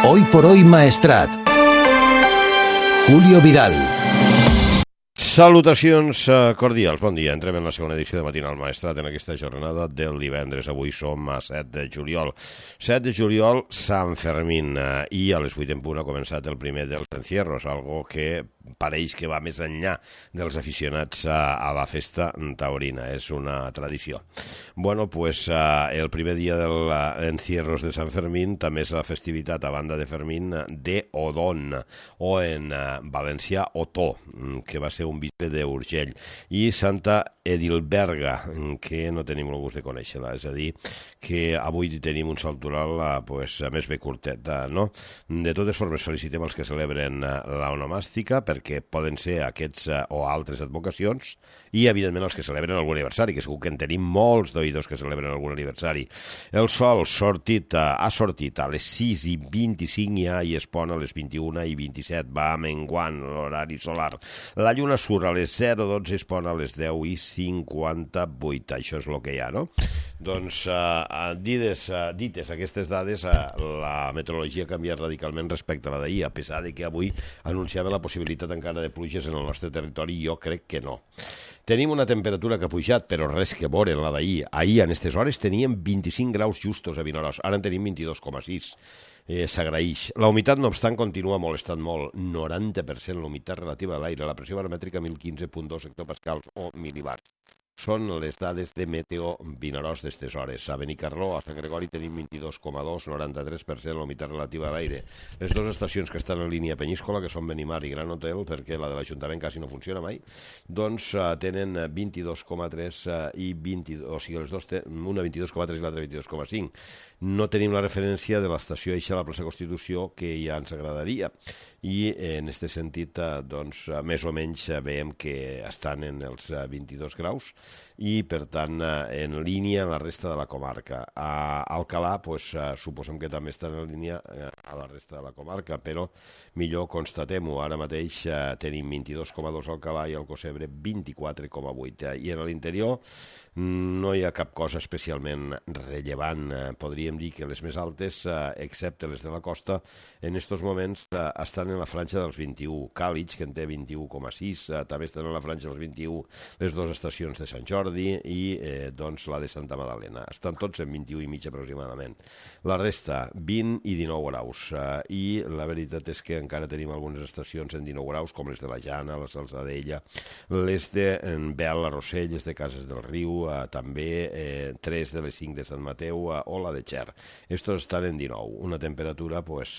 Hoy por hoy Maestrat. Julio Vidal. Salutacions cordials, bon dia. Entrem en la segona edició de Matinal Maestrat en aquesta jornada del divendres. Avui som a 7 de juliol. 7 de juliol, Sant Fermín, i a les 8 en punt ha començat el primer dels encierros, algo que pareix que va més enllà dels aficionats a la festa taurina, és una tradició. Bueno, pues el primer dia dels encierros de Sant Fermín també és la festivitat, a banda de Fermín, de Odón, o en valencià Otó, que va ser un bisbe d'Urgell, i Santa Edilberga, que no tenim el gust de conèixer-la, és a dir, que avui tenim un saltoral pues, més bé curtet, no? De totes formes, felicitem els que celebren l'onomàstica, perquè poden ser aquests o altres advocacions, i evidentment els que celebren algun aniversari, que segur que en tenim molts d'oïdors que celebren algun aniversari. El sol ha sortit a les 6:25 ja i es pon a les 21:27, va menguant l'horari solar. La lluna surt a les 0:12 i es pon a les 10:58, això és el que hi ha, no? Doncs, dites aquestes dades, la meteorologia ha canviat radicalment respecte a la d'ahir, a pesar de que avui anunciava la possibilitat encara de pluges en el nostre territori, jo crec que no. Tenim una temperatura que ha pujat, però res que veure en la d'ahir. Ahir, en aquestes hores, teníem 25 graus justos a Vinaròs, ara en tenim 22,6. S'agraeix. La humitat, no obstant, continua molestant molt. 90% la humitat relativa a l'aire. La pressió baromètrica 1015,2 hectopascals o milibars. Són les dades de Meteo Vinaròs d'estes hores. A Benicarló, a Sant Gregori, tenim 22,2, 93% la humitat relativa a l'aire. Les dues estacions que estan en línia Penyíscola, que són Benimar i Gran Hotel, perquè la de l'Ajuntament quasi no funciona mai, doncs tenen 22,3 i 22, o sigui, les dues una 22,3 i l'altra 22,5. No tenim la referència de l'estació eixa a la plaça Constitució, que ja ens agradaria. I en aquest sentit, doncs, més o menys veiem que estan en els 22 graus i, per tant, en línia en la resta de la comarca. A Alcalà, doncs, suposem que també estan en línia a la resta de la comarca, però millor constatem-ho. Ara mateix tenim 22,2 a Alcalà i al Cosebre 24,8. I en l'interior no hi ha cap cosa especialment rellevant. Podríem dir que les més altes, excepte les de la costa, en aquests moments estan en la franja dels 21. Càlig, que en té 21,6, també estan en la franja dels 21 les dues estacions de Sant Jordi i doncs la de Santa Madalena. Estan tots en 21,5 aproximadament. La resta, 20 i 19 graus. I la veritat és que encara tenim algunes estacions en 19 graus, com les de la Jana, la Salzadella, les de Bel, la Rossell, les de Cases del Riu, també 3 de les 5 de Sant Mateu o la de Xer. Estos estan en 19, una temperatura pues,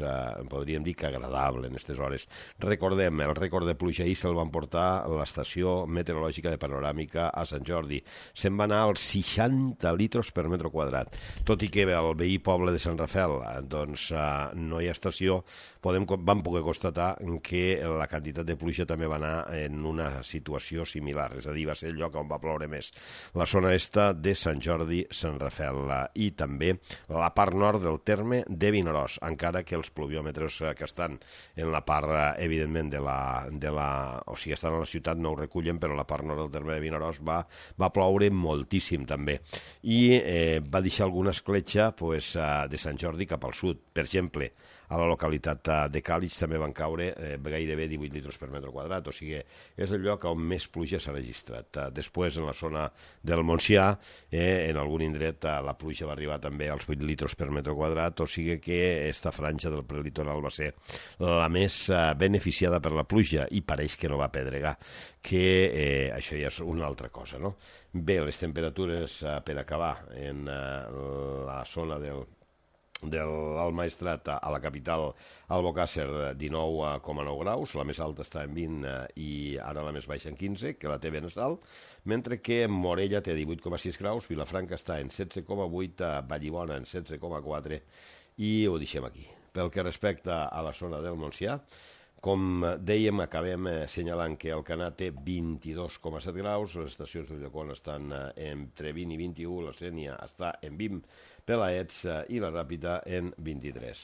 podríem dir que agradable en aquestes hores. Recordem, el rècord de pluja ahir se'l van portar a l'estació meteorològica de Panoràmica a Sant Jordi. Se'n va anar als 60 litres per metre quadrat. Tot i que el veí poble de Sant Rafel doncs, no hi ha estació, vam poder constatar que la quantitat de pluja també va anar en una situació similar, és a dir, va ser el lloc on va ploure més. La zona est de Sant Jordi, Sant Rafel i també la part nord del terme de Vinaròs, encara que els pluviòmetres que estan en la part, evidentment, o sigui, estan a la ciutat no ho recullen, però la part nord del terme de Vinaròs va ploure moltíssim també i va deixar alguna escletxa pues, de Sant Jordi cap al sud. Per exemple, a la localitat de Càlig també van caure gairebé 18 litres per metre quadrat, o sigui, és el lloc on més pluja s'ha registrat. Després, en la zona del Montsià, en algun indret la pluja va arribar també als 8 litres per metre quadrat, o sigui que aquesta franja del prelitoral va ser la més beneficiada per la pluja i pareix que no va pedregar, que això ja és una altra cosa, no? Bé, les temperatures per acabar en la zona del Maestrat a la capital Albocàsser 19,9 graus, la més alta està en 20 i ara la més baixa en 15, que la té Benesal, mentre que Morella té 18,6 graus, Vilafranca està en 16,8, Vallibona en 16,4 i ho deixem aquí. Pel que respecta a la zona del Montsià, com dèiem, acabem assenyalant que Alcanar té 22,7 graus, les estacions de Ulldecona estan entre 20 i 21, la Sénia està en 20, Pelaets i la Ràpita en 23.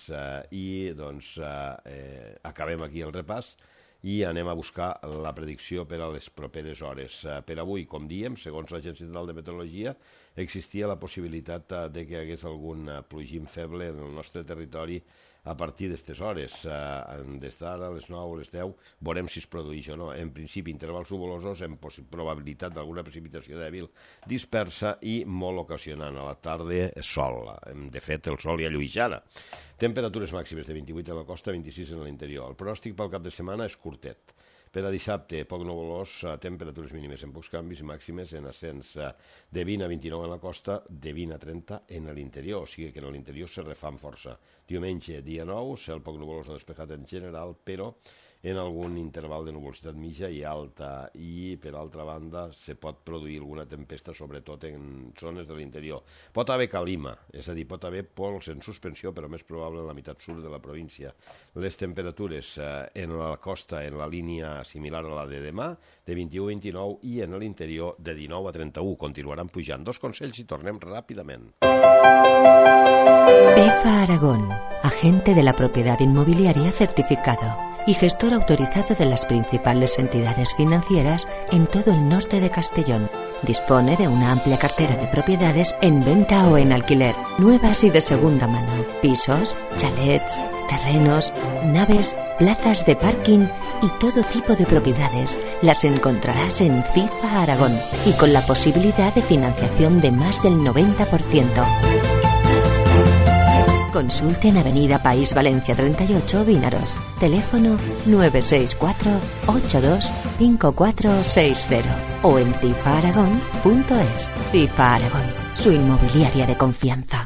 I doncs acabem aquí el repàs i anem a buscar la predicció per a les properes hores. Per avui, com diem, segons l'Agència Central de Meteorologia, existia la possibilitat de que hi hagués algun plogim feble en el nostre territori a partir d'aquestes hores. Des d'ara, a les 9 o les 10, veurem si es produeix o no. En principi, intervals nuvolosos amb probabilitat d'alguna precipitació dèbil dispersa i molt ocasionant. A la tarda, sol. De fet, el sol ja llueix ara. Temperatures màximes de 28 a la costa, 26 en l'interior. El pronòstic pel cap de setmana és curtet. Per a dissabte, poc nuvolós, temperatures mínimes en pocs canvis i màximes en ascens de 20 a 29 en la costa, de 20 a 30 en l'interior, o sigui que en l'interior se refan força. Diumenge, dia 9, cel poc nuvolós o despejat en general, però en algun interval de nuvolositat mitja i alta, i per altra banda se pot produir alguna tempesta, sobretot en zones de l'interior. Pot haver calima, és a dir, pot haver pols en suspensió, però més probable en la meitat sud de la província. Les temperatures en la costa, en la línia similar a la de demà, de 21 a 29, i en l'interior de 19 a 31. Continuaran pujant. Dos consells i tornem ràpidament. IFA Aragón, agente de la propiedad inmobiliaria certificado y gestor autorizado de las principales entidades financieras en todo el norte de Castellón. Dispone de una amplia cartera de propiedades en venta o en alquiler, nuevas y de segunda mano, pisos, chalets, terrenos, naves, plazas de parking y todo tipo de propiedades. Las encontrarás en CIFA Aragón y con la posibilidad de financiación de más del 90%. Consulte en Avenida País Valencia 38, Vínaros. Teléfono 964-825460 o en cifaaragón.es. CIFA Aragón, su inmobiliaria de confianza.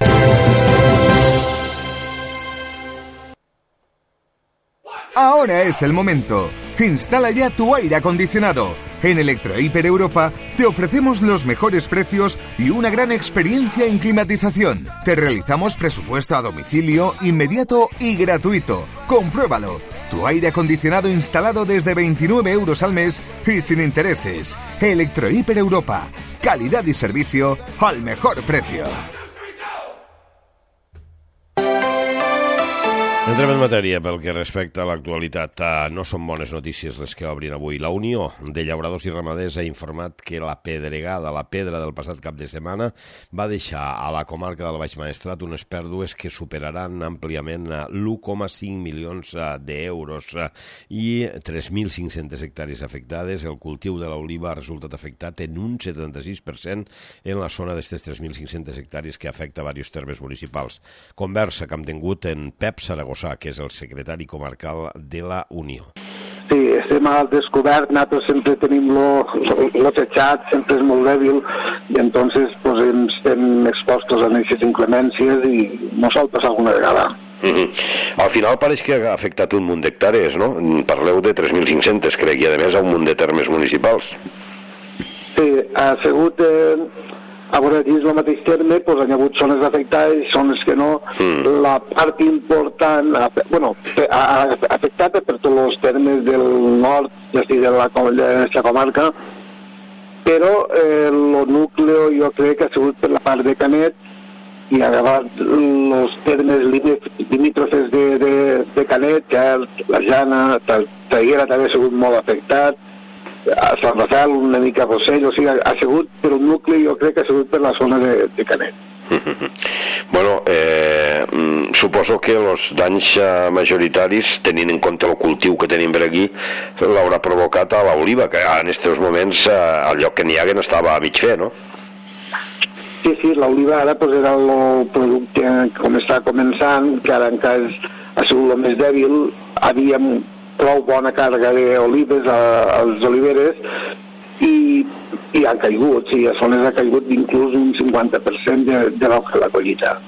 Ahora es el momento. Instala ya tu aire acondicionado. En Electrohiper Europa te ofrecemos los mejores precios y una gran experiencia en climatización. Te realizamos presupuesto a domicilio, inmediato y gratuito. Compruébalo. Tu aire acondicionado instalado desde 29 euros al mes y sin intereses. Electrohiper Europa. Calidad y servicio al mejor precio. Entrem en matèria pel que respecta a l'actualitat. No són bones notícies les que obrin avui. La Unió de Llauradors i Ramaders ha informat que la pedregada, la pedra del passat cap de setmana, va deixar a la comarca del Baix Maestrat unes pèrdues que superaran àmpliament l'1,5 milions d'euros i 3.500 hectàrees afectades. El cultiu de l'oliva ha resultat afectat en un 76% en la zona d'aquestes 3.500 hectàrees que afecta diversos termes municipals. Conversa que hem tingut en Pep Saragossa, que és el secretari comarcal de la Unió. Sí, estem al descobert, nosaltres sempre tenim lo techat, sempre és molt dèbil, i entonces pues, estem expostos a aquestes inclemències i no sol passar alguna vegada. Al final pareix que ha afectat un munt d'hectàrees, no? Parleu de 3.500, crec, i a més a un munt de termes municipals. Sí, ha sigut... A veure, dins el mateix terme doncs, hi ha hagut zones afectades i zones que no. La part important, afectada per tots els termes del nord, ja estic de la comarca, però el nucleo jo crec que ha sigut per la part de Canet i ha acabat els termes limítrofes de Canet, que la Jana, Traiguera també ha sigut molt afectat, a Sant Rafael una mica Rossell, o sigui, ha sigut per un nucli, jo crec que ha sigut per la zona de Canet. Bueno, suposo que els danys majoritaris, tenint en compte el cultiu que tenim per aquí, l'haurà provocat a l'oliva, que en aquests moments el lloc que n'hi hagués estava a mig fer, no? Sí, l'oliva ara pues, era el producte com està començant, que ara encara ha sigut el més dèbil, havíem prou bona càrrega d'olives als oliveres i han caigut, sí, a zones ha caigut inclús un 50% de la collita.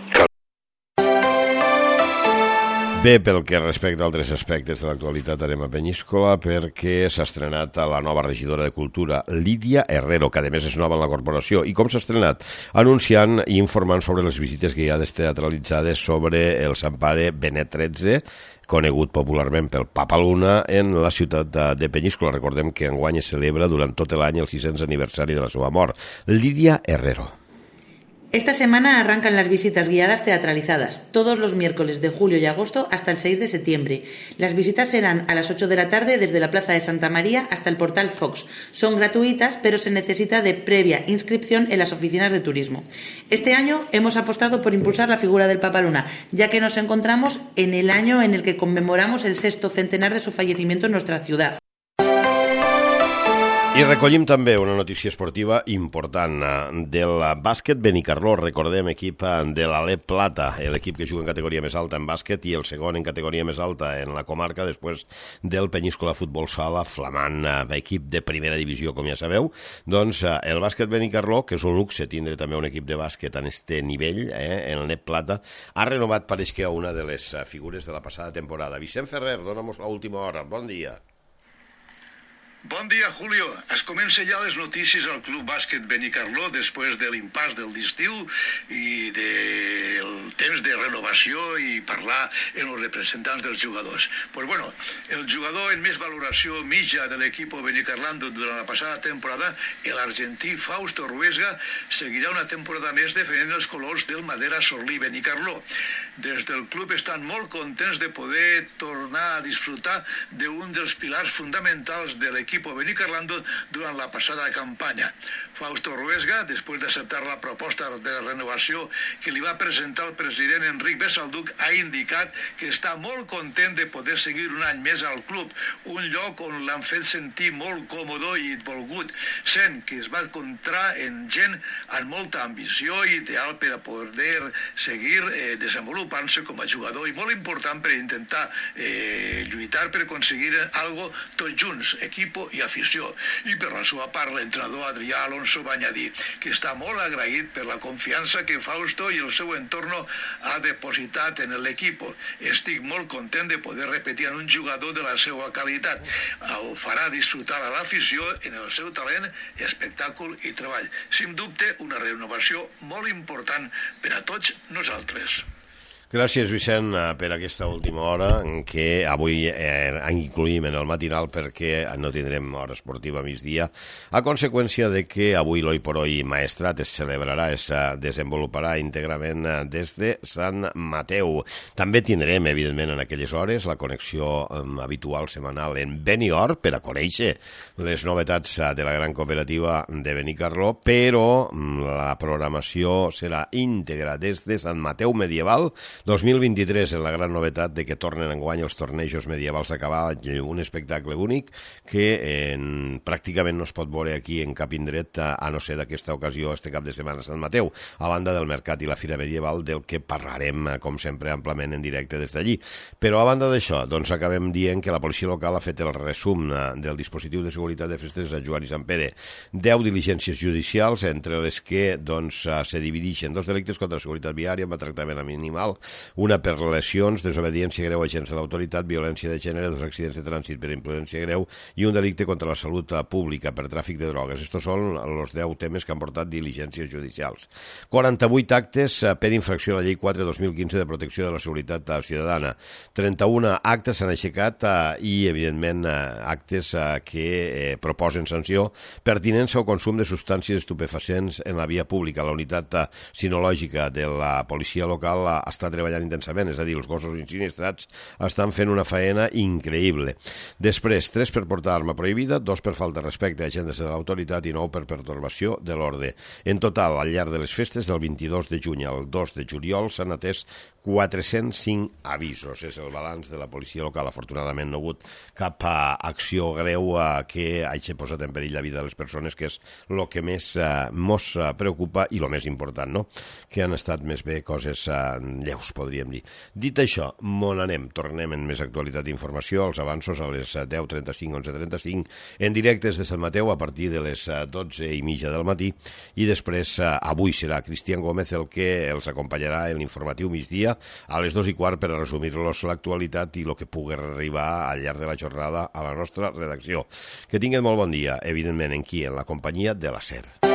Bé, pel que respecta a altres aspectes de l'actualitat anem a Penyíscola perquè s'ha estrenat a la nova regidora de Cultura, Lídia Herrero, que a més és nova en la corporació. I com s'ha estrenat? Anunciant i informant sobre les visites que hi ha teatralitzades sobre el Sant Pare Benet XIII, conegut popularment pel Papa Luna, en la ciutat de Penyíscola. Recordem que enguany es celebra durant tot l'any el 600 aniversari de la seva mort. Lídia Herrero. Esta semana arrancan las visitas guiadas teatralizadas, todos los miércoles de julio y agosto hasta el 6 de septiembre. Las visitas serán a las 8 de la tarde desde la Plaza de Santa María hasta el Portal Fox. Son gratuitas, pero se necesita de previa inscripción en las oficinas de turismo. Este año hemos apostado por impulsar la figura del Papaluna, ya que nos encontramos en el año en el que conmemoramos el 6º centenar de su fallecimiento en nuestra ciudad. I recollim també una notícia esportiva important del bàsquet Benicarló. Recordem, equip de l'Alep Plata, l'equip que juga en categoria més alta en bàsquet i el segon en categoria més alta en la comarca després del Penyíscola Futbol Sala, flamant equip de primera divisió, com ja sabeu. Doncs el bàsquet Benicarló, que és un luxe tindre també un equip de bàsquet en este nivell, en l'Alep Plata, ha renovat, pareix que a una de les figures de la passada temporada. Vicent Ferrer, dóna'm l'última hora. Bon dia. Bon dia, Julio. Es comença ja les notícies al Club Bàsquet Benicarló després de l'impàs del d'estiu i del temps de renovació i parlar en els representants dels jugadors. Pues bueno, el jugador en més valoració mitja de l'equip Benicarlando durant la passada temporada, l'argentí Fausto Ruesga, seguirà una temporada més defendent els colors del Madera Sorlí Benicarló. Des del club estan molt contents de poder tornar a disfrutar d'un dels pilars fonamentals de l'equip Benicarlando durant la passada campanya. Fausto Ruesga, després d'acceptar la proposta de renovació que li va presentar el president Enric Bessalduc, ha indicat que està molt content de poder seguir un any més al club, un lloc on l'han fet sentir molt còmode i volgut, sent que es va encontrar en gent amb molta ambició i ideal per a poder seguir desenvolupant-se com a jugador i molt important per intentar lluitar per aconseguir algo tots junts, equip i afició. I per la seva part, l'entrenador Adrià Alonso va añadir que està molt agraït per la confiança que Fausto i el seu entorno ha depositat en l'equip. Estic molt content de poder repetir en un jugador de la seva qualitat. Ho farà disfrutar a l'afició en el seu talent, espectacle i treball. Sin dubte, una renovació molt important per a tots nosaltres. Gràcies, Vicent, per aquesta última hora, en què avui incluïm en el matinal perquè no tindrem hora esportiva a migdia, a conseqüència de que avui l'Hoy por Hoy Maestrat es celebrarà, es desenvoluparà íntegrament des de Sant Mateu. També tindrem, evidentment, en aquelles hores la connexió habitual setmanal en Benior per a conèixer les novetats de la gran cooperativa de Benicarló, però la programació serà íntegra des de Sant Mateu Medieval 2023, en la gran novetat de que tornen enguany els tornejos medievals a cavall, un espectacle únic que pràcticament no es pot veure aquí en cap indret, a no ser d'aquesta ocasió, este cap de setmana a Sant Mateu, a banda del mercat i la fira medieval, del que parlarem, com sempre, amplament en directe des d'allí. Però a banda d'això, doncs acabem dient que la policia local ha fet el resum del dispositiu de seguretat de festes a Joan i Sant Pere. 10 diligències judicials, entre les que se divideixen 2 delictes contra la seguretat viària, amb tractament animal, una per lesions, desobediència greu a agents de l'autoritat, violència de gènere, 2 accidents de trànsit per imprudència greu i un delicte contra la salut pública per tràfic de drogues. Estos són els 10 temes que han portat diligències judicials. 48 actes per infracció a la llei 4/2015 de protecció de la seguretat ciutadana. 31 actes s'han aixecat i, evidentment, actes que proposen sanció pertinença o consum de substàncies estupefacients en la via pública. La unitat sinològica de la policia local està treballant intensament, és a dir, els gossos insinistrats estan fent una faena increïble. Després, 3 per portar arma prohibida, 2 per falta de respecte a agents de l'autoritat i 9 per pertorbació de l'ordre. En total, al llarg de les festes, del 22 de juny al 2 de juliol, s'han atès 405 avisos. És el balanç de la policia local. Afortunadament no ha hagut cap acció greu que hagi posat en perill la vida de les persones, que és el que més mos preocupa i el més important, no? Que han estat més bé coses lleus, podríem dir. Dit això, on anem? Tornem en més actualitat i informació, els avanços a les 10:35, 11:35, en directes de Sant Mateu a partir de les 12:30 del matí, i després avui serà Cristian Gómez el que els acompanyarà en l'informatiu migdia a les 2:15 per a resumir-los l'actualitat i el que pugui arribar al llarg de la jornada a la nostra redacció. Que tinguin molt bon dia, evidentment, en la companyia de la SER.